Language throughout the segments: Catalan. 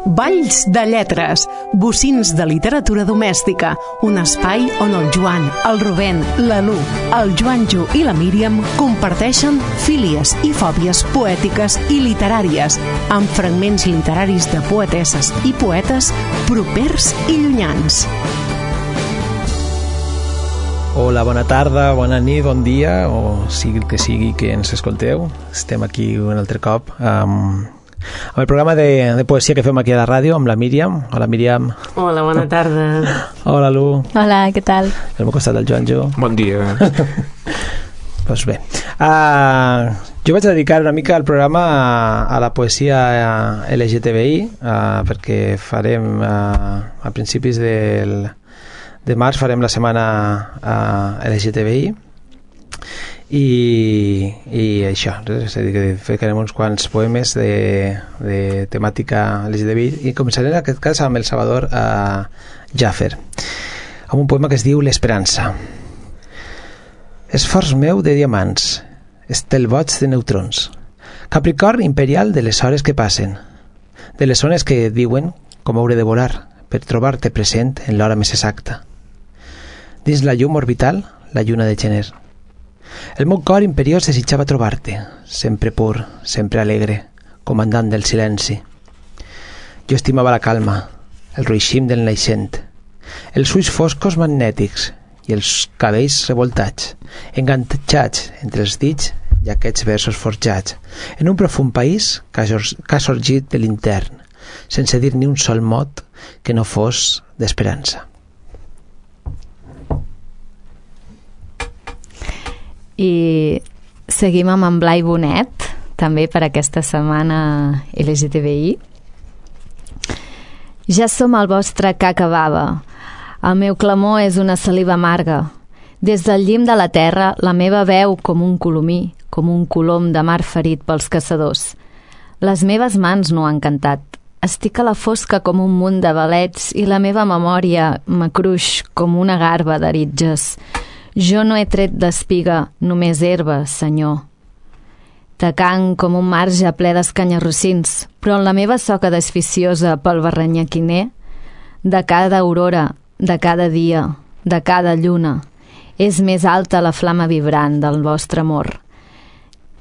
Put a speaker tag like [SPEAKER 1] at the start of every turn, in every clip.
[SPEAKER 1] Balls de lletres, bocins de literatura domèstica, un espai on el Joan, el Rubén, la Lu, el Joanjo i la Míriam comparteixen fílies i fòbies poètiques i literàries, amb fragments literaris de poetesses i poetes propers i llunyans.
[SPEAKER 2] Hola, bona tarda, bona nit, bon dia, o sigui que sigui que ens escolteu. Estem aquí un altre cop amb el programa de poesia que fem aquí a la ràdio amb la Míriam. Hola, Míriam.
[SPEAKER 3] Hola, bona tarda.
[SPEAKER 2] Hola, Lu.
[SPEAKER 4] Hola, què tal?
[SPEAKER 2] Al meu costat el Joanjo.
[SPEAKER 5] Bon dia.
[SPEAKER 2] Doncs bé, jo vaig dedicar una mica al programa a la poesia LGTBI, perquè farem a principis de març farem la setmana LGTBI i això, és a dir, que farem uns quants poemes de temàtica LGTBI i començaré en aquest cas amb el Salvador Jaffer, amb un poema que es diu L'esperança. Esforç meu de diamants, estel boig de neutrons, Capricorn imperial de les hores que passen, de les zones que diuen com hauré de volar per trobar-te present en l'hora més exacta. Dins la llum orbital, la lluna de gener. El meu cor imperiós desitjava trobar-te, sempre pur, sempre alegre, comandant del silenci. Jo estimava la calma, el ruixim del naixent, els ulls foscos magnètics i els cabells revoltats, enganxats entre els dits i aquests versos forjats, en un profund país que ha sorgit de l'intern, sense dir ni un sol mot que no fos d'esperança.
[SPEAKER 4] I seguim amb en Blai Bonet, també per aquesta setmana LGTBI. Ja som el vostre que acabava. El meu clamor és una saliva amarga. Des del llim de la terra, la meva veu com un colomí, com un colom de mar ferit pels caçadors. Les meves mans no han cantat. Estic a la fosca com un munt de balets i la meva memòria m'acruix com una garba d'aritges. Jo no he tret d'espiga, només herba, senyor. Tacant com un marge ple d'escanyarrossins, però en la meva soca desficiosa pel barranyaquiner, de cada aurora, de cada dia, de cada lluna, és més alta la flama vibrant del vostre amor,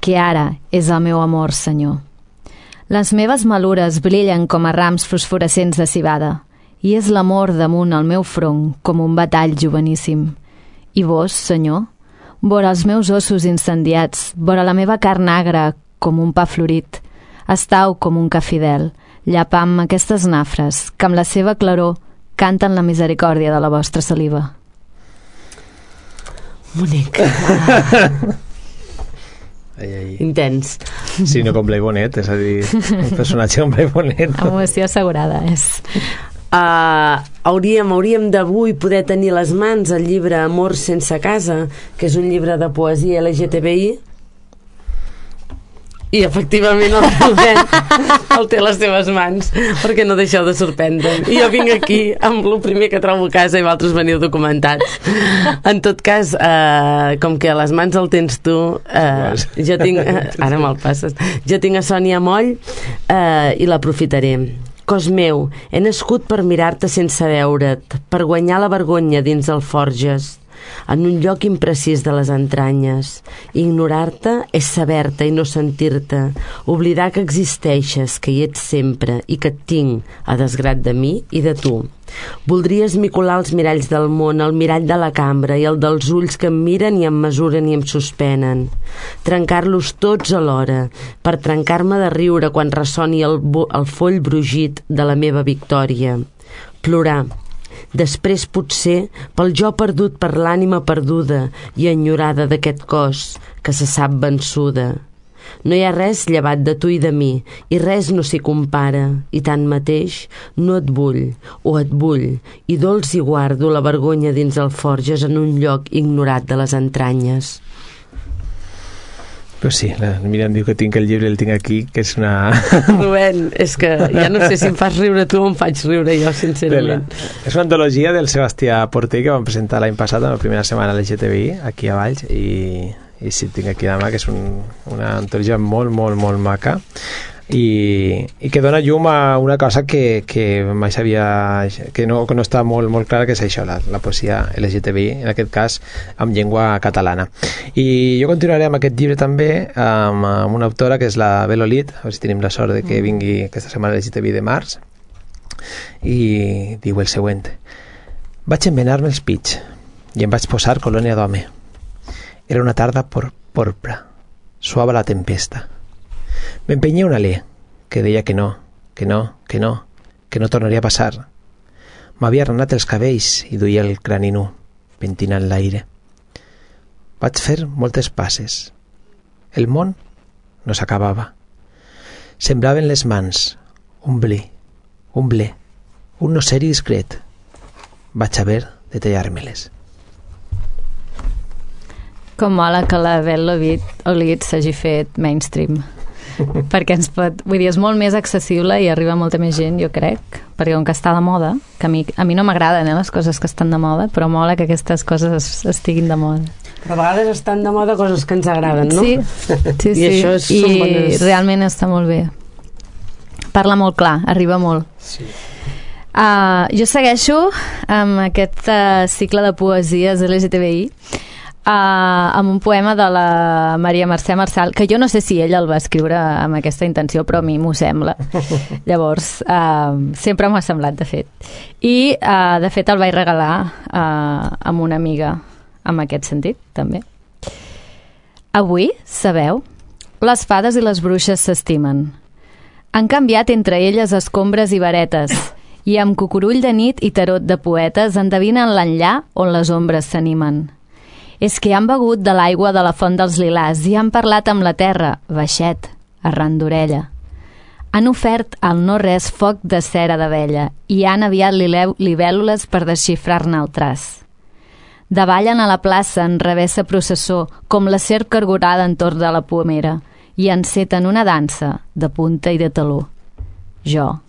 [SPEAKER 4] que ara és el meu amor, senyor. Les meves malures brillen com a rams fosforescents de civada, i és l'amor damunt el meu front com un batall joveníssim. I vos, senyor, vora els meus ossos incendiats, vora la meva carn agra com un pa florit, estau com un ca fidel, llapant aquestes nafres que amb la seva claror canten la misericòrdia de la vostra saliva.
[SPEAKER 3] Bonic. Intens.
[SPEAKER 2] Sí, no com Blai Bonet, és a dir, un personatge com Blai Bonet.
[SPEAKER 4] Emoció assegurada, és...
[SPEAKER 3] Hauríem d'avui poder tenir a les mans el llibre Amor sense casa, que és un llibre de poesia LGTBI, i efectivament el té a les seves mans, perquè no deixeu de sorprendre'm. I jo vinc aquí amb el primer que trobo a casa i vosaltres veniu documentats. En tot cas, com que a les mans el tens tu, jo tinc... Ara me'l passes. Jo tinc a Sònia Moll i l'aprofitaré. Cos meu, he nascut per mirar-te sense veure't, per guanyar la vergonya dins el Forges, en un lloc imprecís de les entranyes. Ignorar-te és saber-te i no sentir-te, oblidar que existeixes, que hi ets sempre i que et tinc, a desgrat de mi i de tu. Voldria esmicolar els miralls del món, el mirall de la cambra i el dels ulls que em miren i em mesuren i em suspenen. Trencar-los tots alhora, per trencar-me de riure quan ressoni el foll brugit de la meva victòria. Plorar. Després, potser, pel jo perdut per l'ànima perduda i enyorada d'aquest cos que se sap vençuda. No hi ha res llevat de tu i de mi, i res no s'hi compara, i tanmateix no et vull, o et vull, i dolç hi guardo la vergonya dins el Forges en un lloc ignorat de les entranyes.
[SPEAKER 2] Pues sí, la Míriam diu que tinc el llibre, el tinc aquí, que és una...
[SPEAKER 3] Rubén, és que ja no sé si em fas riure tu o em faig riure jo, sincerament.
[SPEAKER 2] És una antologia del Sebastià Porter que vam presentar l'any passat, en la primera setmana LGTBI, aquí a Valls, i sí, tinc aquí a mà, que és una antologia molt, molt, molt maca. i que dona llum a una cosa que mai sabia, que no està molt clara, que és això, la poesia LGTBI, en aquest cas amb llengua catalana. I jo continuaré amb aquest llibre també amb una autora que és la Bel Olid, a veure si tenim la sort de que vingui aquesta setmana LGTBI de març, i diu el següent: vaig envenar-me els pits i em vaig posar colònia d'home. Era una tarda porpra, suava la tempesta. M'empenyia un alè que deia que no tornaria a passar. M'havia arrenat els cabells i duia el crani nu, pentinant l'aire. Vaig fer moltes passes. El món no s'acabava. Semblaven les mans un ble, un noceri discret. Vaig haver de tallar-me-les.
[SPEAKER 4] Com mola que la Bel Olid s'hagi fet mainstream. Perquè ens pot... Vull dir, és molt més accessible i arriba molta més gent, jo crec, perquè com que està de moda, que a mi no m'agraden les coses que estan de moda, però mola que aquestes coses estiguin de moda.
[SPEAKER 3] Però a vegades estan de moda coses que ens agraden, no?
[SPEAKER 4] Sí.
[SPEAKER 3] I això són bones...
[SPEAKER 4] realment està molt bé. Parla molt clar, arriba molt.
[SPEAKER 2] Sí.
[SPEAKER 4] Jo segueixo amb aquest cicle de poesies LGTBI amb un poema de la Maria Mercè Marçal, que jo no sé si ella el va escriure amb aquesta intenció, però a mi m'ho sembla. Llavors, sempre m'ha semblat, de fet. I, de fet, el vaig regalar amb una amiga en aquest sentit, també. Avui, sabeu, les fades i les bruixes s'estimen. Han canviat entre elles escombres i varetes, i amb cucurull de nit i tarot de poetes endevinen l'enllà on les ombres s'animen. És que han begut de l'aigua de la font dels lilàs i han parlat amb la terra, baixet, arran d'orella. Han ofert al no-res foc de cera d'abella i han aviat libèl·lules per desxifrar-ne el traç. Davallen a la plaça en revessa processó com la serp cargorada entorn de la pomera i enceten una dansa de punta i de taló. Jo,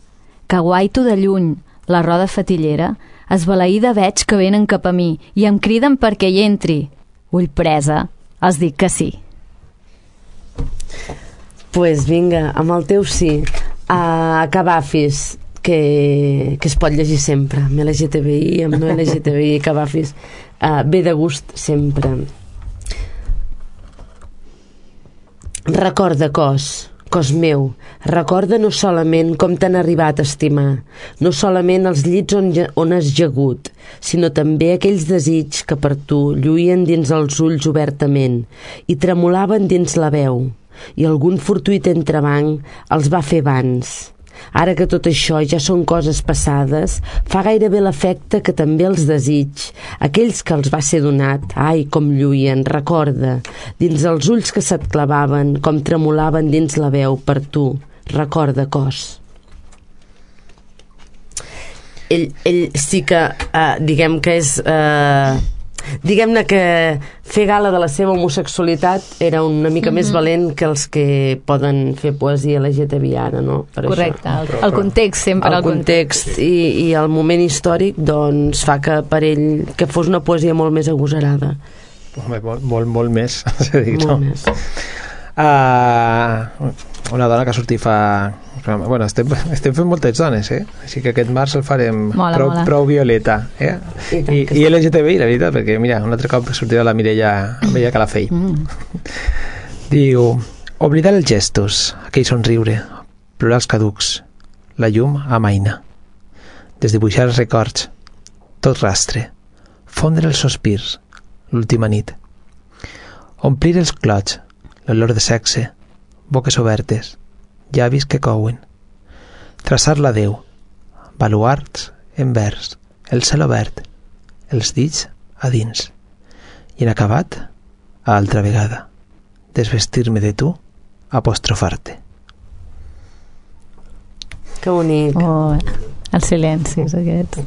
[SPEAKER 4] que guaito de lluny la roda fatillera, esbalaïda veig que venen cap a mi i em criden perquè hi entri. Ull presa, els dic que sí.
[SPEAKER 3] Pues vinga, amb el teu sí. Cavafis, que es pot llegir sempre, amb LGTBI, amb no LGTBI, Cavafis. Ve de gust sempre. Recorda, cos meu, recorda no solament com t'han arribat a estimar, no solament els llits on has jagut, sinó també aquells desigs que per tu lluïen dins els ulls obertament i tremolaven dins la veu, i algun fortuit entrebanc els va fer vans. Ara que tot això ja són coses passades, fa gairebé l'efecte que també els desigs, aquells que els va ser donat, ai, com lluïen, recorda, dins els ulls que se't clavaven, com tremolaven dins la veu per tu, recorda, cos. Ell sí que, diguem que és... diguem-ne que fer gala de la seva homosexualitat era una mica més valent que els que poden fer poesia LGTBI ara, no? Per
[SPEAKER 4] correcte, el context sempre.
[SPEAKER 3] El context i el moment històric doncs fa que per ell que fos una poesia molt més agosarada.
[SPEAKER 2] Home, molt més,
[SPEAKER 3] molt més.
[SPEAKER 2] Una dona que ha sortit fa... Bueno, estem fent moltes dones, així que aquest març el farem prou violeta, i LGTBI, la veritat, perquè mira, un altre cop sortirà la Mireia Calafell. Diu: oblidar els gestos, aquell somriure, plorar els caducs, la llum amaina, desdibuixar els records, tot rastre, fondre els sospirs, l'última nit, omplir els clots, l'olor de sexe, boques obertes, llavis que couen, traçar l'adeu, baluards en vers, el cel obert, els dits a dins, i en acabat, a altra vegada, desvestir-me de tu, apostrofar-te.
[SPEAKER 3] Que bonic.
[SPEAKER 4] Oh, els silencis aquest,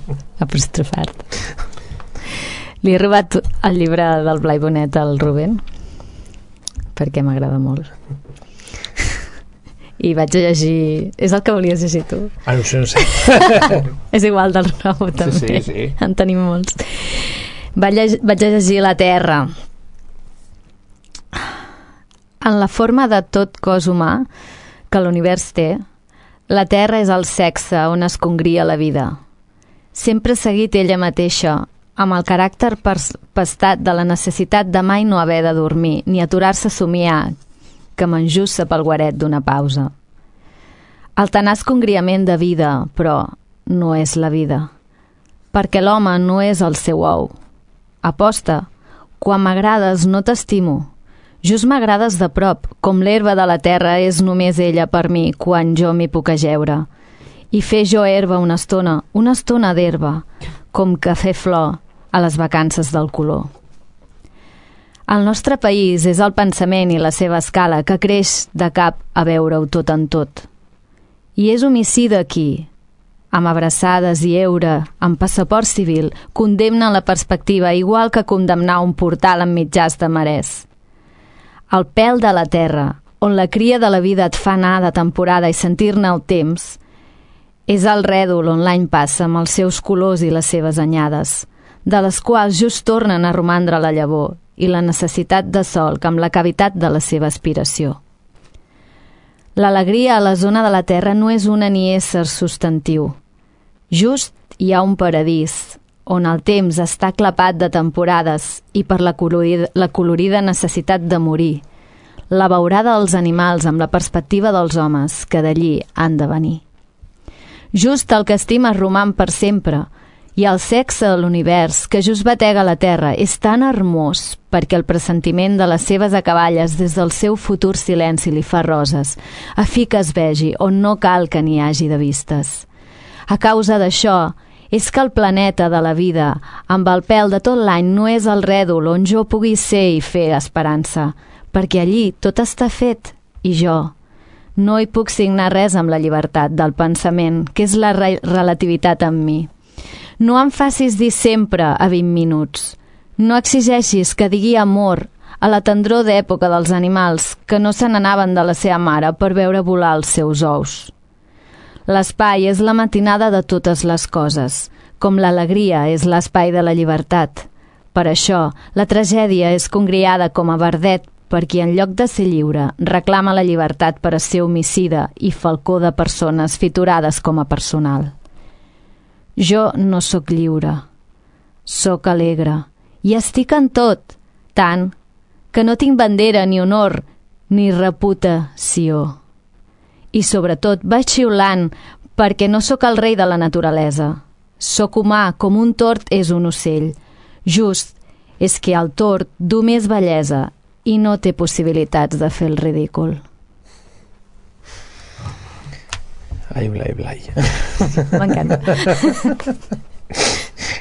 [SPEAKER 4] apostrofar-te. Li he robat el llibre del Blai Bonet al Rubén perquè m'agrada molt. I vaig a llegir... És el que volies llegir tu?
[SPEAKER 2] No sé.
[SPEAKER 4] És igual del nou, també.
[SPEAKER 2] Sí.
[SPEAKER 4] En tenim molts. Vaig a llegir La Terra. En la forma de tot cos humà, que l'univers té, la Terra és el sexe on es congria la vida. Sempre ha seguit ella mateixa, amb el caràcter pastat de la necessitat de mai no haver de dormir ni aturar-se a somiar, que m'enjussa pel guaret d'una pausa. El tenaç congriament de vida, però, no és la vida, perquè l'home no és el seu ou. Aposta, quan m'agrades no t'estimo, just m'agrades de prop, com l'herba de la terra és només ella per mi quan jo m'hi puc ajeure. I fer jo herba una estona d'herba, com cafè flor a les vacances del color. El nostre país és el pensament i la seva escala que creix de cap a veure-ho tot en tot. I és homicida qui, amb abraçades i eure, amb passaport civil, condemna la perspectiva igual que condemnar un portal amb mitjars de marès. El pèl de la terra, on la cria de la vida et fa anar de temporada i sentir-ne el temps, és el rèdol on l'any passa amb els seus colors i les seves anyades, de les quals just tornen a romandre la llavor i la necessitat de sol amb la cavitat de la seva aspiració. L'alegria a la zona de la terra no és una ni ésser substantiu. Just hi ha un paradís, on el temps està clapat de temporades i per la colorida necessitat de morir, la beurada dels animals amb la perspectiva dels homes que d'allí han de venir. Just el que estimes roman per sempre, i el sexe de l'univers que just batega la terra és tan hermós perquè el pressentiment de les seves acaballes des del seu futur silenci li fa roses, a fi que es vegi on no cal que n'hi hagi de vistes. A causa d'això, és que el planeta de la vida, amb el pèl de tot l'any, no és el rèdol on jo pugui ser i fer esperança, perquè allí tot està fet, i jo no hi puc signar res amb la llibertat del pensament, que és la relativitat en mi. No em facis dir sempre a 20 minuts. No exigeixis que digui amor a la tendror d'època dels animals que no se n'anaven de la seva mare per veure volar els seus ous. L'espai és la matinada de totes les coses, com l'alegria és l'espai de la llibertat. Per això, la tragèdia és congriada com a verdet per qui en lloc de ser lliure reclama la llibertat per a ser homicida i falcó de persones fiturades com a personal. Jo no sóc lliure, sóc alegre i estic en tot, tant que no tinc bandera ni honor ni reputació. I sobretot vaig xiulant perquè no sóc el rei de la naturalesa. Sóc humà com un tord és un ocell. Just és que el tord du més bellesa i no té possibilitats de fer el ridícul.
[SPEAKER 2] Ai, Blai, Blai.
[SPEAKER 4] M'encanta.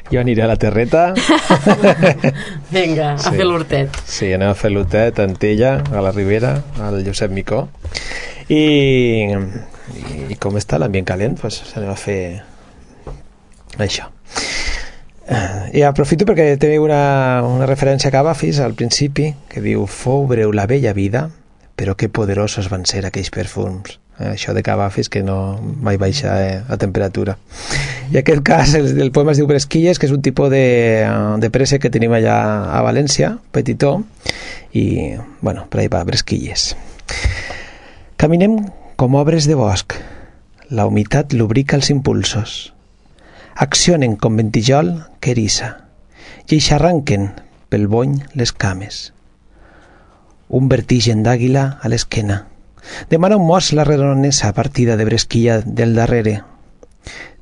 [SPEAKER 2] Jo aniré a la terreta.
[SPEAKER 3] Vinga, a fer l'hortet.
[SPEAKER 2] Sí, anem a fer l'hortet a Antella, a la Ribera, al Josep Micó. I com està l'ambient calent, doncs anem a fer això. I aprofito perquè té una referència a Cavafis al principi, que diu: fou breu la bella vida, però que poderosos van ser aquells perfums. Això de Cavafis, que no mai baixa a temperatura. I en aquest cas el poema es diu Bresquilles, que és un tipus de préssec que tenim allà a València, petitó, i bueno, per ahí va, Bresquilles. Caminem com obres de bosc, la humitat lubrica els impulsos, accionen com ventijol que eriça i eixarranquen pel bony les cames. Un vertigen d'àguila a l'esquena demana un mos la redonesa partida de bresquilla del darrere.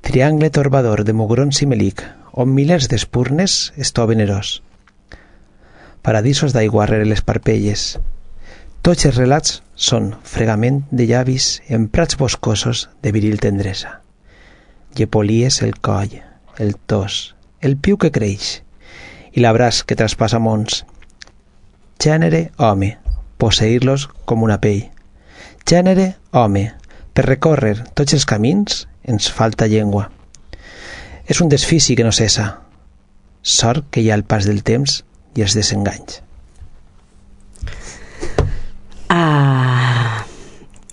[SPEAKER 2] Triangle torbador de mugrons i melic, on milers d'espurnes estoven eros. Paradisos d'aigua rere les parpelles. Tots els relats són fregament de llavis en prats boscosos de viril tendresa. Llepolies el coll, el tos, el piu que creix i l'abraç que traspassa mons. Gènere home, posseir-los com una pell. Gènere home, per recórrer tots els camins ens falta llengua. És un desfici que no cessa. Sort que hi ha el pas del temps i els desenganys.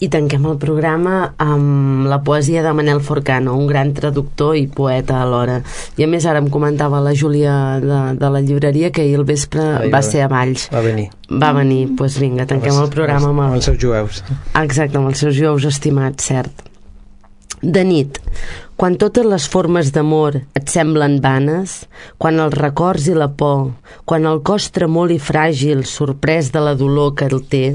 [SPEAKER 3] I tanquem el programa amb la poesia de Manel Forcano, un gran traductor i poeta alhora. I a més ara em comentava la Júlia de la llibreria que ahir al vespre va ser a Valls.
[SPEAKER 2] Va venir.
[SPEAKER 3] Doncs vinga, tanquem el programa
[SPEAKER 2] amb els seus jueus.
[SPEAKER 3] Exacte, amb els seus jueus estimats, cert. De nit, quan totes les formes d'amor et semblen vanes, quan els records i la por, quan el cos tremol i fràgil, sorprès de la dolor que el té,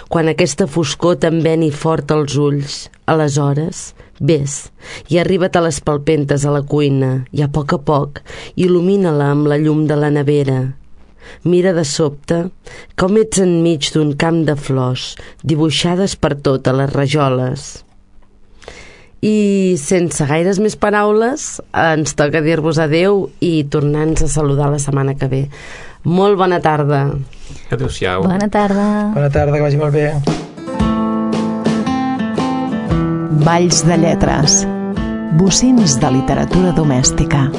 [SPEAKER 3] quan aquesta foscor t'enveni fort als ulls, aleshores, vés i arriba't a les palpentes a la cuina i a poc il·lumina-la amb la llum de la nevera. Mira de sobte com ets enmig d'un camp de flors dibuixades per totes les rajoles. I sense gaires més paraules ens toca dir-vos adeu i tornar-nos a saludar la setmana que ve. Molt bona tarda.
[SPEAKER 5] Adéu-siau.
[SPEAKER 4] Bona tarda.
[SPEAKER 2] Bona tarda, que vagi molt bé.
[SPEAKER 1] Valls de lletres. Bocins de literatura domèstica.